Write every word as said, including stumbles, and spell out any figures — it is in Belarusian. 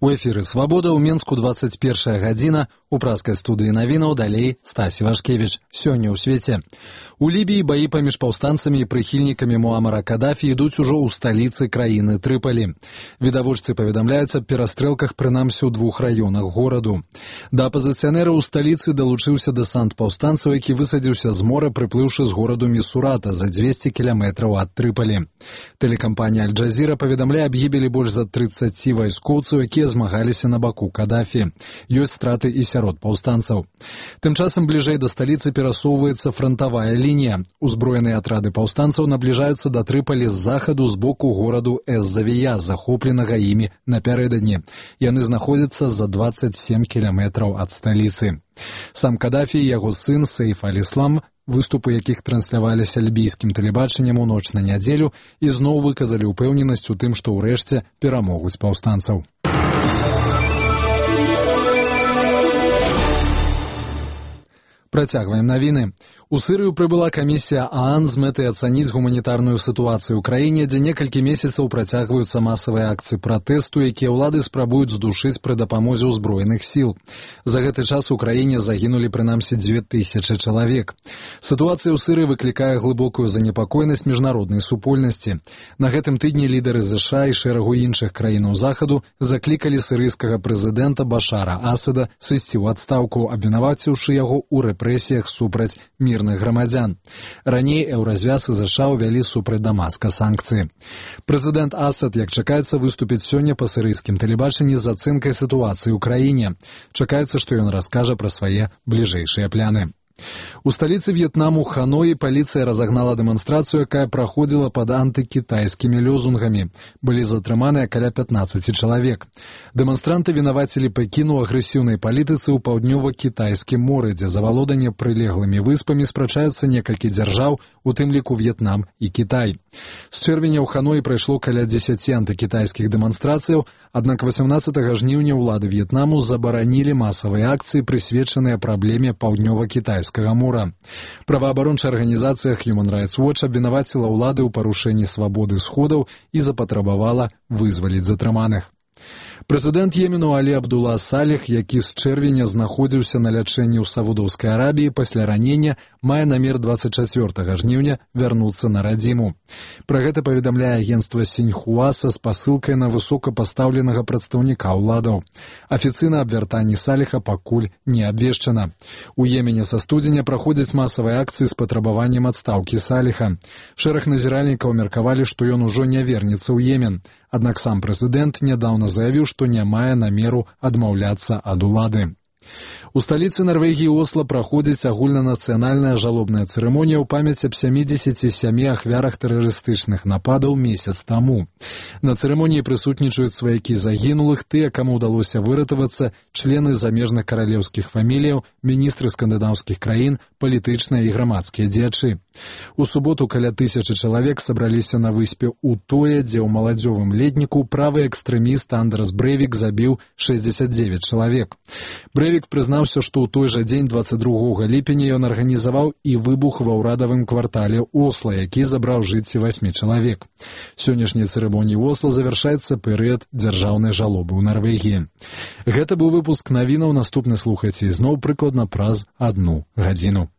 У эфіры «Свабода» ў Менску двадцать першая гадзіна. У праскай студыі навінаў далей Стась Івашкевіч. Сёння ў свеце. У Лібіі баі паміж паўстанцамі і прыхільнікамі Муамара Кадафі ідуць ужо ў сталіцы краіны Трыпалі. Відавочцы паведамляюць аб перастрэлках прынамсі ў двух раёнах гораду. Да апазіцыянераў у сталіцы далучыўся дэсант паўстанцаў, які высадзіўся з мора, прыплыўшы з гораду Місурата за дзвесце кіламетраў ад Трыпалі. Тэлекампанія Аль-Джазіра паведамляе аб гібелі больш за трыццаці вайскоўцаў, якія змагаліся на баку Кадафі. Ёсць страты і сярод паўстанцаў. Тым часам бліжэй да сталіцы перасоўваецца франтавая лінія. Узброеныя атрады паўстанцаў набліжаюцца да Трыпалі з захаду з боку гораду Эз-Завія, захопленага імі напярэдадні. Яны знаходзяцца за двадцать семь кіламетраў ад сталіцы. Сам Кадафі і яго сын Сейф аль-Іслам, выступы якіх трансляваліся лібійскім тэлебачаннем у ноч на нядзелю, ізноў выказалі ўпэўненасць у тым, што ўрэшце перамогуць паўстанцаў. Працягваем навіны. У Сырыю прыбыла камісія ААН з мэтай ацаніць гуманітарную сітуацыю ў краіне, дзе некалькі месяцаў працягваюцца масавыя акцыі пратэсту, якія ўлады спрабуюць здушыць пры дапамозе ўзброеных сіл. За гэты час у краіне загінулі прынамсі дзве тысячы чалавек. Сітуацыя ў Сырыі выклікае глыбокую занепакоенасць міжнароднай супольнасці. На гэтым тыдні лідары ЗША і шэрагу іншых краінаў захаду заклікалі сырыйскага прэзідэнта Башара Асада сысці ў адстаўку, абвінаваціўшы яго ў рэпрэсіях супраць мірных грамадзян. Раней Еўразвяз і ЗША ўвялі супраць Дамаска санкцыі. Прэзідэнт Асад, як чакаецца, выступіць сёння па сырыйскім тэлебачанні з ацэнкай сітуацыі ў краіне. Чакаецца, што ён раскажа пра свае бліжэйшыя пляны. У сталіцы В'етнаму Ханоі паліцыя разагнала дэманстрацыю, якая праходзіла пад антыкітайскімі лёзунгамі. Былі затрыманыя каля пятнаццаці чалавек. Дэманстранты вінавацілі Пекін у агрэсіўнай палітыцы ў паўднёва-кітайскім моры, дзе за валоданне прылеглымі выспамі спрачаюцца некалькі дзяржаў, у тым ліку В'етнам і Кітай. З чэрвеня ў Ханоі прайшло каля дзесяці антыкітайскіх дэманстрацыяў, аднак васямнаццатага жніўня ўлады В'етнаму забаранілі масавыя акцыі, прысвечаныя праблеме паўднёва-кітайскага мора. Праваабарончая арганізацыя Human Rights Watch абвінаваціла ўлады ў парушэнні свабоды сходаў і запатрабавала вызваліць затрыманых. Прэзідэнт Йемену Алі Абдула Саліх, які з чэрвеня знаходзіўся на лячэнні ў Саудаўскай Арабіі пасля ранення, мае намер двадцать чацвёртага жніўня вярнуцца на радзіму. Пра гэта паведамляе агенцтва Сіньхуа са спасылкай на высокапастаўленага прадстаўніка ўладаў. Афіцыйна аб вяртанні Саліха пакуль не абвешчана. У Йемене са студзеня праходзяць масавыя акцыі з патрабаваннем адстаўкі Саліха. Шэраг назіральнікаў меркавалі, што ён ужо не вернецца ў Йемен. Аднак сам прэзідэнт нядаўна заявіў, што не мае намеру адмаўляцца ад улады. У сталіцы Нарвегіі Осла праходзіць агульнанацыянальная жалобная цырымонія ў памяць аб сямідзесяці сямі ахвярах тэрарыстычных нападаў месяц таму. На цырымоніі прысутнічаюць сваякі загінулых, тыя, каму ўдалося выратавацца, члены замежных каралеўскіх фаміліяў, міністры скандынаўскіх краін, палітычныя і грамадскія дзеячы. У суботу каля тысячы чалавек сабраліся на выспе Утоя, дзе ў маладзёвым летніку правы экстрэміст Андерс Брэвік забіў шэсцьдзесят дзевяць чалавек. Брэвік прызнаўся, што ў той жа дзень двадцать другога ліпеня ён арганізаваў і выбух ва ўрадавым квартале Осла, які забраў жыцці васьмі чалавек. Сённяшняй цырымоніі Осла завяршаецца перыяд дзяржаўнай жалобы ў Нарвегіі. Гэта быў выпуск навінаў, наступны слухайце ізноў прыкладна праз адну гадзіну.